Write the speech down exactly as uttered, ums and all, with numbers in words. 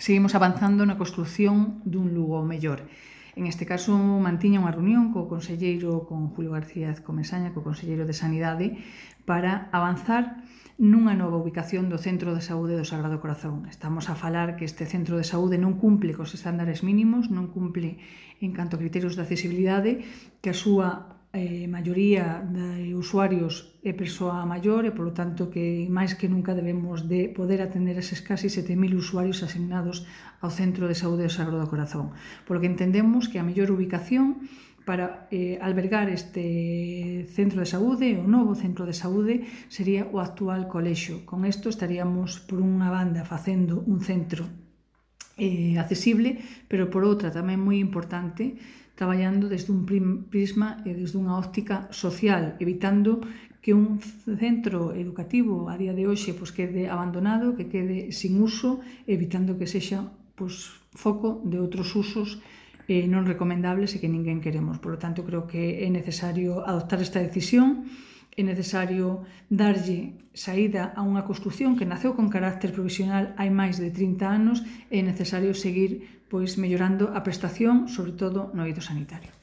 seguimos avanzando na construción dun Lugo mellor. En este caso, mantiña unha reunión co conselleiro, con Julio García Comesaña, co conselleiro de Sanidade, para avanzar nunha nova ubicación do Centro de Saúde do Sagrado Corazón. Estamos a falar que este centro de saúde non cumple cos estándares mínimos, non cumple en canto a criterios de accesibilidade, que a súa eh, maioría de usuarios é persoa maior e, polo tanto, que máis que nunca debemos de poder atender eses casi sete mil usuarios asignados ao Centro de Saúde do Sagrado Corazón. Por lo que entendemos que a mellor ubicación para eh, albergar este centro de saúde, o novo centro de saúde, sería o actual colexio. Con isto estaríamos, por unha banda, facendo un centro eh, accesible, pero por outra tamén moi importante, traballando desde un prisma e desde unha óptica social, evitando que un centro educativo a día de hoxe pues, quede abandonado, que quede sin uso, evitando que sexa pues, foco de outros usos eh, non recomendables e que ninguén queremos. Por lo tanto, creo que é necesario adoptar esta decisión, é necesario darlle saída a unha construción que naceu con carácter provisional hai máis de trinta anos, é necesario seguir pois, mellorando a prestación, sobre todo no eido sanitario.